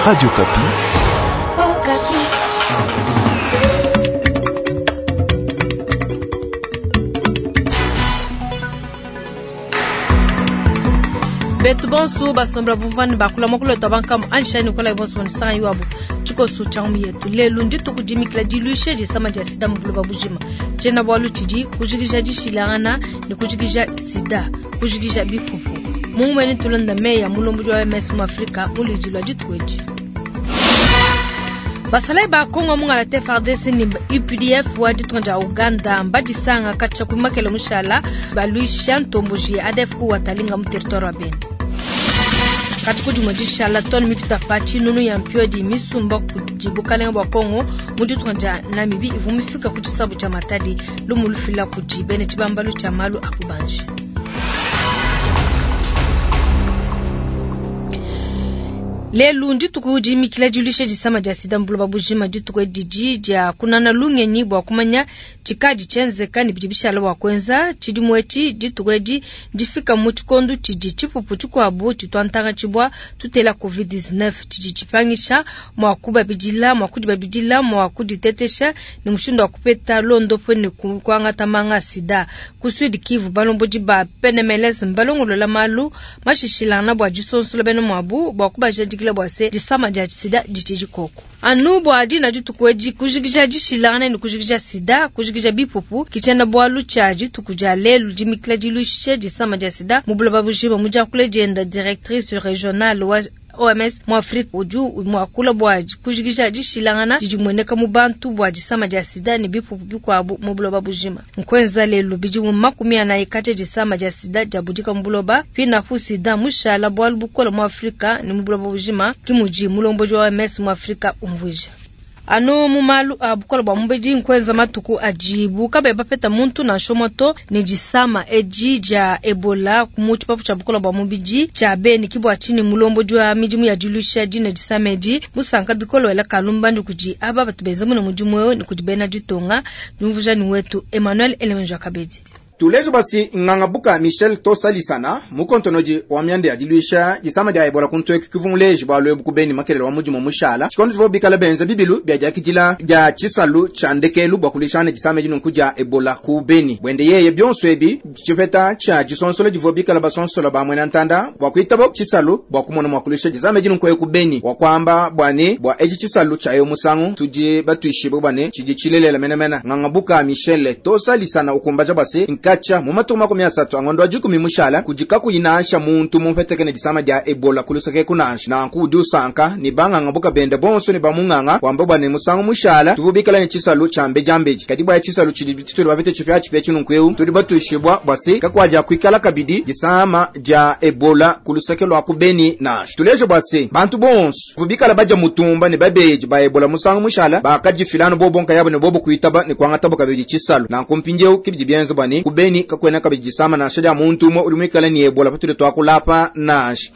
Radio Okapi. Betu bonso basombela bumvua ne bakula muakulu wetu wa bankamu anjishayi ne kolayi bonso bonisanga iwabu tshikoso tshia ngumu yetu lelu ndituku dimikila diluisha disama dia sida mu buloba bujima. Tshiena-bualu tshidi kujikija dishilangana ne kujikija sida, kujikija bipupu. Mu ngumu eyi netulonda meyi a mulombodi wa OMS mu Afrika mu luidi lua dituku edi. Basalayi ba Kongo mungalata FARDC ne UPDF wa ditunga dia Uganda mbadisanga katshia ku makele mushala baluisha ntomboji ya ADF ku Watalinga mu territoire wa Beni. Kati ku dimue dishala tone mipita pa tshinunu ya mpiodi misumba kudi bukalenga bua Kongo mu ditunga dia Namibie ivua mifika ku tshisabu tshia Matadi, lumu lufila kudi bena tshibambalu tshia malu a bubanji. Lelu ndituku dimikila diluisha disama dia sida mu buloba bujima. Dituku edi didi dia kunana lungenyi bua kumanya tshikadi tshienzeka ne bidi bishala bua kuenza. Tshidimu etshi dituku edi ndifika mu tshikondo tshidi tshipupu tshikuabu tshitua ntanga tshibua tutela Covid-19 tshidi tshipangisha mua kubabidila, mua kudibabidila, mua kuditetesha ne mushindu wa kupeta luondopu ne kuangata manga a sida. Ku Sud Kivu, balombodi ba PNMLS mbalongolola malu mashishilangana bua disonsola bena muabu bua kubajadikila bua se disama dia sida ditshidi koku. Anu bua dina dituku edi, kujikija dishilangana ne kujikija sida, kujikija bipupu ki tshiena bualu tshia dituku dia lelu dimikila diluisha disama dia sida mu buloba bujima. Mu diakula dienda, directrice regionale wa OMS mu Afrika udi muakula bua kujikija dishilangana didi dimueneka mu bantu bua disama dia sida ne bipupu bikuabu mu buloba bujima. Nkuenza lelu bidimu 40 katshia disama dia sida diabudika mu buloba, pinapu sida mushala bualu bukole mu Afrika ne mu buloba bujima, ke mudi mulombodi wa OMS mu Afrika umvuija. Anu mu malu a bukole bua mubidi nkuenza matuku adibu kabayi bapeta muntu nansha umue to ne disama edi dia Ebola mu tshipapu tshia bukole bua mubidi tshia Beni. Ke bua tshinyi mulombodi wa midimu ya diluisha dine disama edi musanka bikole wela kalumbandi kudi aba batu benza mune mudimu eu ne kudi bena ditunga. Diumvuija ne wetu Emmanuel Elemenja Kabedi. Tuleje bua se, Nganga Buka Michel Tosalisana, mukontonodi wa mianda ya diluisha disama dia Ebola ku ntueku kivua muleje bualu ebu ku Beni makelela wa mudimu mushala, tshikondo tshivuabu bikale benza bibilu bia diakidila dia tshisalu tshia ndekelu bua kuluishangana ne disama edi nunku dia Ebola ku Beni. Buende yeye, bionso ebi ntshipeta tshia disonsola divua bikale basonsola ba muena ntanda bua kuitaba tshisalu bua kumona mua kuluisha disama edi nunku eku Beni. Wakuamba bua ne, bua etshi tshisalu tshia eu musangu, tudi batuishibue bua ne, tshidi tshilelela menemene. Nganga Buka Michel Tosalisana ukumbaja bua se, nkatshia mu matuku 30 a ngondo wa dikumi mushala, kudi kakuyi nansha muntu mupeteke ne disama dia Ebola ku luseke eku nansha. Nanku udi usanka ne banganga buka bende bonso ne bamunganga, wamba bua ne musangu mushala tuvua bikala ne tshisalu tshia mbediambedi, kadi bua tshisalu tshidi tshitudi bapete tshipiatshipia etshi nunku'eu, tudi batuishibua bua se kakuadiakuikala kabidi disama dia Ebola ku luseke lua ku Beni nansha. Tuleje bua se bantu bonso bavua bikala badia mutumba ne babedi ba Ebola musangu mushala bakadifila anu bobo nkayabu ne bobo kuitaba ne kuangatabu kabidi tshisalu. Nanku mpindieu ke bidi bienza bua ne ku Beni kakuena kabidi disama nansha dia muntu umue udi muikale ne Ebola patudi tuakula apa nansha.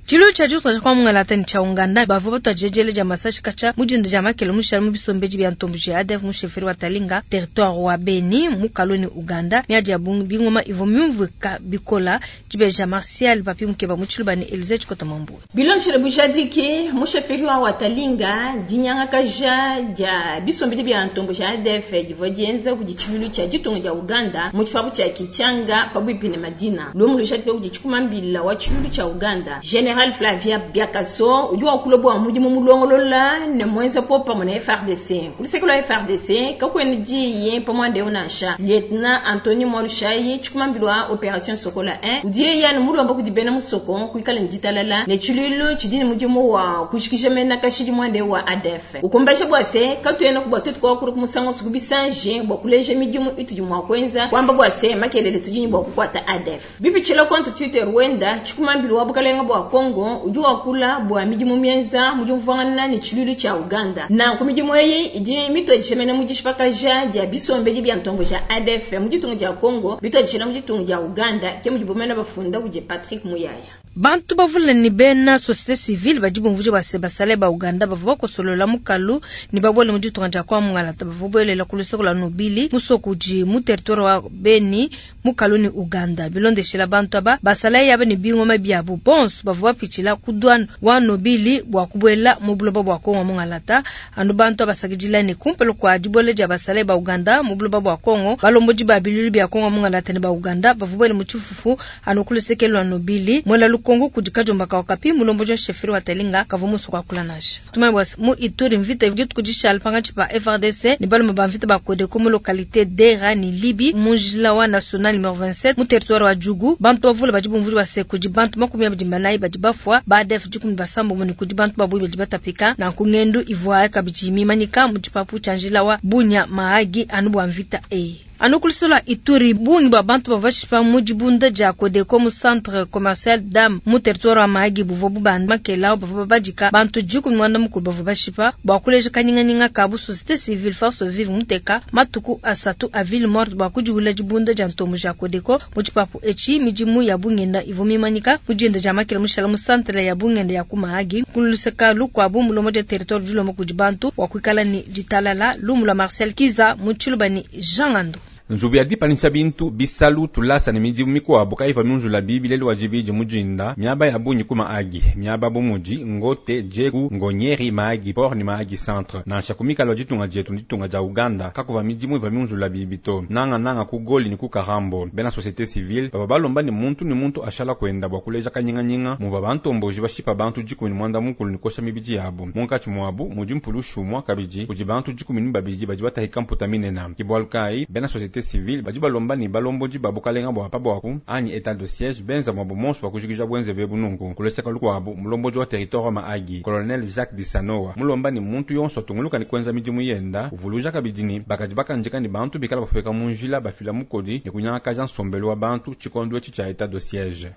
Tshiluilu tshia ditunga dia Kwa-Mungalata ne tshia Ouganda bavua batuadije diela dia masashi katshia mu dinda dia makele mushale mu bisombedi bia ntomboji ya ADF mu chefferie wa Talinga, territoire wa Beni, mu Kaloni, Ouganda. Miadi ya bungi bingoma ivua miumvuika bikola. Dibeja Martial Papi Mukeba mu Tshiluba ne Elysee Tshikota Mambuwe. Bilondeshile bujadiki, mu chefferie wa Watalinga, dinyangakaja dia bisombedi bia ntomboji ya ADF divua dienza kudi tshiluilu tshia ditunga dia Ouganda mu tshipapu tshia Kitchanga pabuipi ne Madina. Lumu lujadika kudi tshikumambila wa tshiluilu tshia Ouganda, General Flavien Byakaso, udi wakula bua mudimu mulongolola ne muenza popamue ne FARDC. Ku luseke lua FARDC, kakuena diyi pa muanda eu nansha. Lieutenant Anthony Mwalushayi, tshikumambila wa Operation Sokola 1, udi yeye anu mulomba kudi bena musoko kuikala ne ditalala ne tshiluilu tshidi ne mudimu wa kujikija mena kashidi muanda eu wa ADF. Ukumbaja bua se, katuenaku bua tuetu kuakula ku musangu wonso ku bisanji bua kuleja midimu itudi mua kuenza, kuamba bua se, makelele tudi ne bua kukuata ADF. Bipitshila compte Twitter wenda, tshikumambilu wa bukalenga bua Congo udi wakula bua midimu mienza mu diumvuangana ne tshiluilu tshia Ouganda. Nanku midimu eyi idi mituadija mene mu dishipakaja dia bisombedi bia ntomboji ya ADF mu ditunga dia Congo bituadijila mu ditunga dia Ouganda, ke mudibu mene bafunda kudi Patrick Muyaya. Bantu bavule ne bena société civile badi bumvuija bua se basalayi ba Uganda bavua bakosolola mukalu ne babuele mu ditunga dia Kongo Mungalata bavua buelela ku luseke lua Nobili, musoko udi mu territoire wa Beni mukalu ne Uganda. Bilondeshila bantu aba, basalayi aba ne bingoma biabu bonso bavua bapitshila ku douane wa Nobili bua kubuela mu buloba bua Kongo Mungalata. Anu bantu aba basakidila ne kumpala kua dibuela dia basalayi ba Uganda mu buloba bua Kongo, balombodi ba biluilu bia Kongo Mungalata ne ba Uganda bavua buele mu tshifufu anu ku luseke lua Nobili. Muela lukongo kudi Kadiomba ka Okapi, mulombodi wa chefferie wa Talinga kavua musue kuakula nansha. Tumanye bua se, mu Ituri mvita dituku dishala pankatshi pa FARDC ne balume ba mvita ba Codeco mu localite Dera ne Libi mu njila wa national numero 27 mu territoire wa Djugu. Bantu bavule badi bumvuija bua se, kudi bantu 24 badi bafua, ba ADF 16 ne kudi bantu ba bungi badi batapika. Nanku ngendu ivua kabidi mimanyika mu tshipapu tshia njila wa Bunia Mahagi anu bua mvita eyi. Anu ku luseke lua Ituri, bungi bua bantu bavua bashipa mu dibunda dia Codeco mu centre commercial Dam mu territoire wa Mahagi buvua bubanda makela bavua babadika bantu 15 bavua bashipa. Bua kuleja kanyinganyinga kabu, société civile Force Vive muteka matuku asatu a ville morte bua kudiwula dibunda dia ntombo ja Codeco mu tshipapu etshi. Midimu ya bungenda ivua mimanyika mu dinda dia makela mushala mu centre ya bungenda ya ku Mahagi. Ku luseke lukuabu, mulombodi wa territoire udi ulomba kudi bantu bua kuikala ne ditalala. Lumu lua Marcel Kiza mu Tshiluba ne Jean Ngando. Nzubu ya dipanyisha bintu, bisalu, tulasa ne midimu mikuabu kayivua miunzula bibi lelu wa dibidi mu dinda miaba ya bungi ku Mahagi. Miaba bu mudi Ngote, Djeku, Ngonyeri, Mahagi Port ne Mahagi Centre. Nansha ku mikalo ya ditunga dietu ne ditunga dia Uganda kakuvua midimu ivua miunzula bibi to. Nanga nanga ku Goli ne ku Karambo. Bena société civile bavua balomba ne muntu ne muntu ashala kuenda bua kuleja kanyinganyinga muvua bantomboji bashipa bantu 19 ne kosha mibidi yabu. Munkatshi muabu mudi mpulushi umua kabidi kudi bantu 12 badi batahika mputa minene. Ke bualu kayi bena société civile badi balomba ne balombodi ba bukalenga bua pa buaku anyi état de siège benza muabu monso bua kujikija bwenze bebu nunku. Ku luseke lukuabu, mulombodi wa territoire wa Mahagi, colonel Jacques Disanoa, mulomba ne muntu yonso atunguluka ne kuenza midimu yenda, uvuluja kabidi ne bakadi bakandika ne bantu bikala bapueka mu njila bafila mukodi ne kunyangakaja nsombelu wa bantu tshikondo etshi tshia état de siège.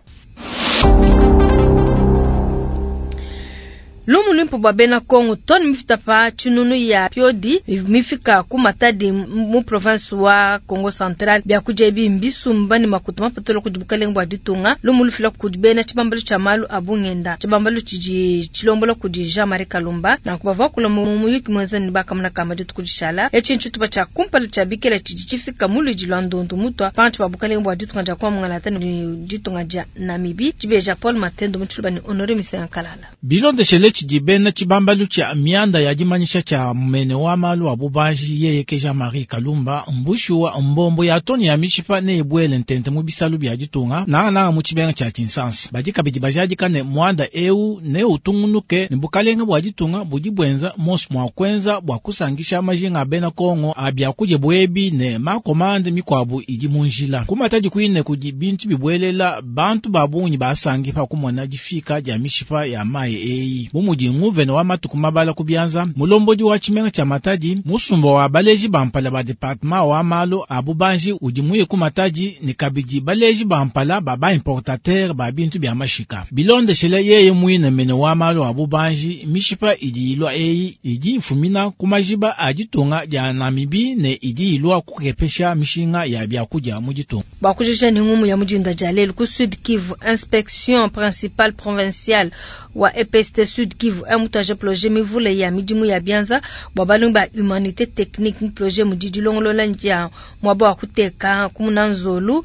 Lumu luimpe bua bena Kongo, tone mifita pa tshinunu ya piodi mifika ku Matadi mu province wa Kongo Central. Biakudia ebi mbisumba ne makuta mapatula kudi bukalenge bua ditunga. Lumu lufila kudi bena tshibambalu tshia malu a bungenda, tshibambalu tshidi tshilombola kudi Jean-Marie Kalumba. Nanku bavua bakula mu muyuki muenza ne bakamuna kamba dituku dishala. Etshi ntshitupa tshia kumpala tshia bikela tshidi tshifika mu luidi lua ndondu mutua pankatshi pa bukalenge bua ditunga dia Kongo Mungalata ne ditunga dia Namibie. Dibeja Paul Matendo mu Tshiluba ne Honore Misenga Kalala. Bilondeshele tshidi bena tshibambalu tshia mianda ya dimanyisha tshia mene wa malu a bubanji yeye ke Jean-Marie Kalumba, mbushuwa mbombo ya toni ya mishipa ne ebwele ntente mu bisalu bia ditunga nangananga mu tshibenga tshia Tshinsansa. Badi kabidi bajadika ne muanda eu ne utungunuke ne bukalenga bua ditunga budi bwenza monso mua kuenza bua kusangisha majinga a bena Kongo a biakudia bwebi ne makomande mikuabu idi mu njila. Ku Matadi kuine kudi bintu bibwelela bantu ba bungi basangi pa kumona difika dia mishipa ya mayi eyi. Bu mudi nguvene wa matuku mabala ku bianza, mulombodi wa tshimenga tshia Matadi, musumba wa baleji ba mpala ba departement wa malu a bubanji udi muye ku Matadi ne kabidi baleji ba mpala ba ba importateur ba bintu bia mashika. Bilondeshele yeye muine mene wa malu a bubanji, mishipa idi ilua eyi idi ifumina ku majiba a ditunga dia Namibie ne idi ilua kukepesha mishinga ya biakudia mu ditunga. Bua kujikija ne ngumu ya mudinda dia lelu ku Sud Kivu, inspection principale provinciale wa EPST Sud Kivu emutaje projet mivule ya midimu ya bianza bua balongi ba humanité technique mu projet mudi dilongolola dia muaba wa kuteka kumuna nzolu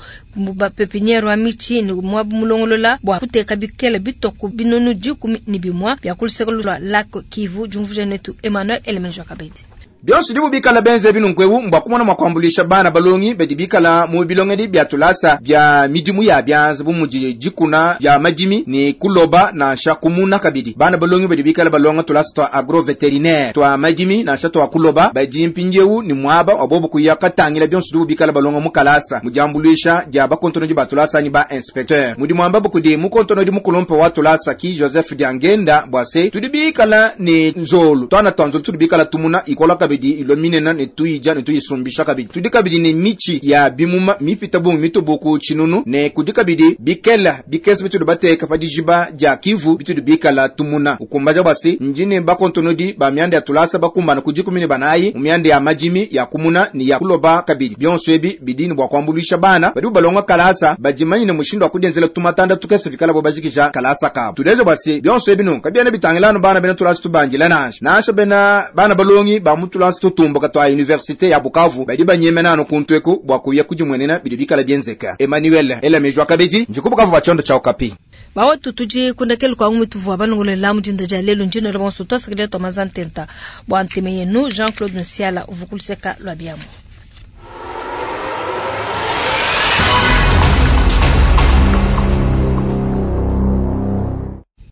ba pépinière wa michi ne muaba mulongolola bua kuteka bikele bitoko binunu 11 bia ku luseke lua lac Kivu. Diumvuija netu Emmanuel Elemenjo Kabedi. Bionso dibu bikala benze binunku mbwa kumona mwa kuambulisha bana balongi badi bikala mu bilongedi bia tulasa bia midimu ya bianza bu mudi dikuna bia madimi ne kuloba nansha kumuna kabidi. Bana balongi badi bikala balonga tulasa twa agro vétérinaire twa madimi nansha twa kuloba badi mpindiewu ni mwaba wabobo kuya katangila bionso dibu bikala balonga mu kalasa mu diambulisha dia bakontonodi ba tulasa ni ba inspecteur. Mudi mwamba bukudi mu kontonodi mukulumpe wa tulasa ki Joseph Diangenda bwase tudi bikala ne nzolu twana twanzolu tudi bikala tumuna ikola kabidi. kabidi ilua minena ne tuyidia ne tuyisumbisha kabidi. Tudi kabidi ne mitshi ya bimuma mipita bungi mitubu ku tshinunu, ne kudi kabidi bikela bikese bitudi bateka pa dijiba dia Kivu bitudi bikala tumuna. Ukumbaja bua se ndi ne bakontonodi ba mianda ya tulasa bakumbana ku 14 mu mianda ya madimi ya kumuna ne ya kuloba kabidi. Bionso ebi bidi ne bua kuambuluisha bana badi balonga kalasa badimanyine mushindu wa kudienzela tumatanda tukese bikala bo bajikija kalasa kabo. Tuleja bua se bionso ebi nunku kabiena bitangila anu bana bena tulasa tubandila nansha nansha bena bana balongi ba mu tulasa tutumbuka tua universite ya Bukavu badi banyemena anu kuntu eku bua kuya kudimuenena bidi bikala bienzeka. Emmanuel Elamejwa kabidi ndi ku Bukavu bua tshiondo tshia Okapi. Bawetu tudi kundekelu kwa ngumi tuvua balongolola mu dinda dia lelu ndino la bonso tuasakidila tua mazantenta bua nteme yenu Jean-Claude Nsiala uvukuluseka lua biamu.